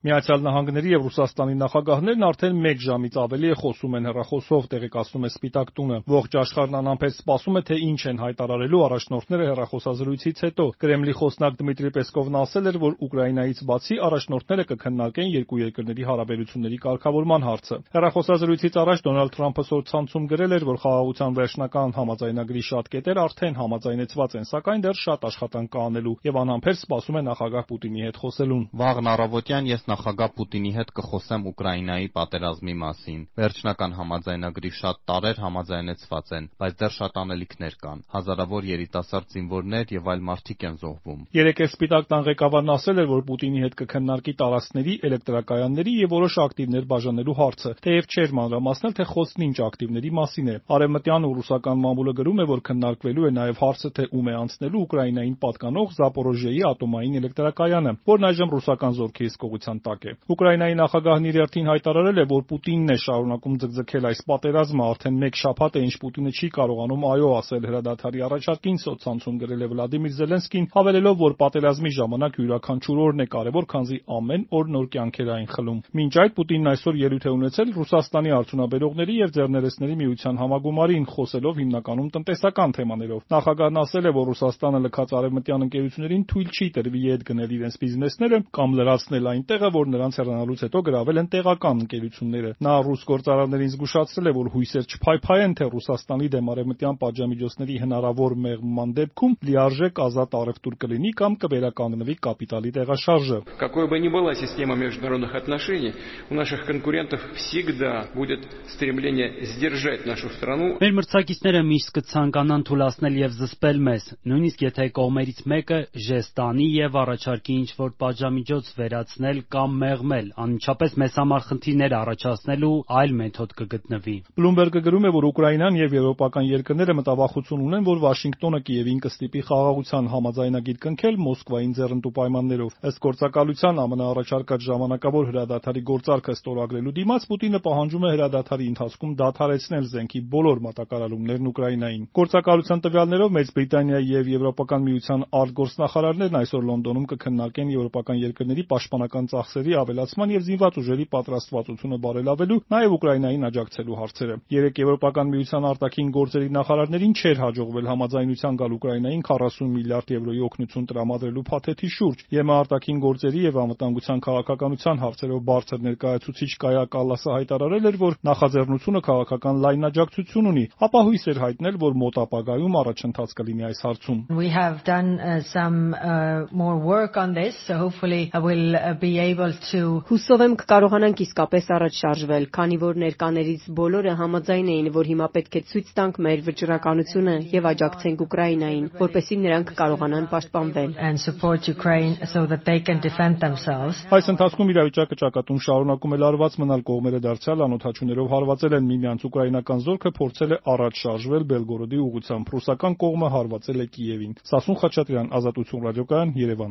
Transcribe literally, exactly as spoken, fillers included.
Միացյալ Նահանգների եւ Ռուսաստանի նախագահներն արդեն մեկ ժամից ավելի է խոսում են հեռախոսով, տեղեկացնում է Սպիտակ տունը։ Ողջ աշխարհն անհամբեր սպասում է, թե ինչ են հայտարարելու առաջնորդները հեռախոսազրույցից հետո։ Կրեմլի խոսնակ Դմիտրի Պեսկովն ասել էր, որ Ուկրաինայից բացի առաջնորդները կքննարկեն երկու երկրների հարաբերությունների կարգավորման հարցը։ Հեռախոսազրույցից առաջ Դոնալդ Թրամփը սոցցանցում գրել էր, որ խաղաղության վերջնական համաձայնագրի շատ կետեր արդեն համաձայնեցված են, սակայն դեռ շատ աշխատանք կա անելու եւ անհամբեր սպասում է նախագահ Պուտինի հետ խոսելուն։ Վաղն առավոտյան ես նախագահ Պուտինի հետ կխոսեմ Ուկրաինայի պատերազմի մասին։ Վերջնական համաձայնագրի շատ տարրեր համաձայնեցված են, բայց դեռ շատ անելիքներ կան։ Հազարավոր երիտասարդ զինվորներ եւ այլ մարդիկ են զոհվում։ Երեկ էլ Սպիտակ տան ղեկավարն ասել էր, որ Պուտինի հետ կքննարկի տարածքների, էլեկտրակայանների եւ որոշ ակտիվներ բաժանելու հարցը, թեև չէր մանրամասնել, թե խոսքն ինչ ակտիվների մասին է։ Արևմտյան ու ռուսական մամուլը գրում է, որ քննարկվելու է նաեւ հարցը, թե ում է անցնելու Ուկրաինային պատկանող Զապորոժիեի ատոմային էլեկտրակայանը, որն այժմ ռուսական զորքի հսկողության տակ է։ Ուկրաինայի նախագահն իր հերթին հայտարարել է, որ Պուտինն է շարունակում ձգձգել այս պատերազմը, արդեն մեկ շաբաթ է, ինչ Պուտինը չի կարողանում այո ասել հրադադարի առաջարկին, սոցցանցում գրել է Վլադիմիր Զելենսկին, հավելելով, որ պատերազմի ժամանակ յուրաքանչյուր օրն է կարևոր, քանզի ամեն օր նոր կյանքեր այն խլում։ Մինչ այդ Պուտինն այսօր ելույթ է ունեցել Ռուսաստանի արդյունաբերողների եւ ձեռներեցների միության համագումարին, խոսելով հիմնականում տնտեսական թեմաներով։ Նախագահն ասել է, որ Ռուսաստանը լքած արևմտյան ընկերություններին թույլ չի տրվի ետ գնել իրենց բիզնեսները կամ լրացնել այն տեղը, որ նրանց հեռանալուց հետո գրավել են տեղական ընկերությունները։ Նա ռուս գործարարներին զգուշացրել է, որ հույսեր չփայփայեն, թե Ռուսաստանի դեմ արևմտյան պատժամիջոցների հնարավոր մեղմման դեպքում լիարժեք ազատ առևտուր կլինի կամ կվերականգնվի կապիտալի տեղաշարժը։ Какой бы ни была система международных отношений, у наших конкурентов всегда будет стремление сдержать нашу страну. Մեր մրցակիցները միշտ կցանկանան թուլացնել եւ զսպել մեզ, նույնիսկ եթե կողմերից մեկը ժեստանի եւ առաջարկի ինչ-որ պատժամիջոց վերացնել կամ մեղմել, անմիջապես մեզ համար խնդիրներ առաջացնելու այլ մեթոդ կգտնվի։ Բլումբերգը գրում է, որ Ուկրաինան եւ եվրոպական երկրները մտավախություն ունեն, որ Վաշինգտոնը Կիևին կստիպի խաղաղության համաձայնագիր կնքել Մոսկվային ձեռնտու պայմաններով։ Ըստ գործակալության ԱՄՆ առաջարկած ժամանակավոր հրադադարի գործարքը ստորագրելու դիմաց Պուտինը պահանջում է հրադադարի ընթացքում դադարեցնել զենքի բոլոր մատակարարումներն Ուկրաինային։ Գործակալության տվյալներով Մեծ Բրիտանիայի եւ Եվրոպական միության արտգործնախարարներն այսօր Լոնդոնում կքննարկեն եվրոպական երկրների պաշտպանական ծախսերի ավելացման եւ զինված ուժերի պատրաստվածությունը բարելավելու, նաեւ Ուկրաինային աջակցելու հարցերը։ Երեք Եվրոպական միության արտաքին գործերի նախարարներին չէր հաջողվել համաձայնության գալ Ուկրաինային քառասուն միլիարդ եվրոյի օգնություն տրամադրելու փաթեթի շուրջ։ ԵՄ արտաքին գործերի եւ անվտանգության քաղաքականության հարցերով բարձր ներկայացուցիչ Կայա Կալասը հայտարարել էր, որ նախաձեռնությունը քաղաքական լայն աջակցություն ունի, ապա հույս էր հայտնել, որ մոտ ապագայում առաջընթաց կլինի այս հարցում։ We have done uh, some uh, more work on this, so hopefully I will uh, be able to. Հուսով եմ կկարողանանք իսկապես առաջ շարժվել, քանի որ ներկաներից բոլորը համաձայն էին, որ հիմա պետք է ցույց տանք մեր վճռականությունը եւ աջակցենք Ուկրաինային, որպեսզի նրանք կարողանան պաշտպանվել and support Ukraine so that they can defend themselves. Այս ընթացքում իրավիճակը ճակատում շարունակում է լարված մնալ, կողմերը դարձյալ անօթաչուներով հարվածել են միմյանց, ուկրաինական զորքը փորձել է առաջ շարժվել Բելգորոդի ուղղությամբ, ռուսական կողմը հարվածել է Կիևին։ Սասուն Խաչատրյան, Ազատություն ռադիոկայան, Երևան։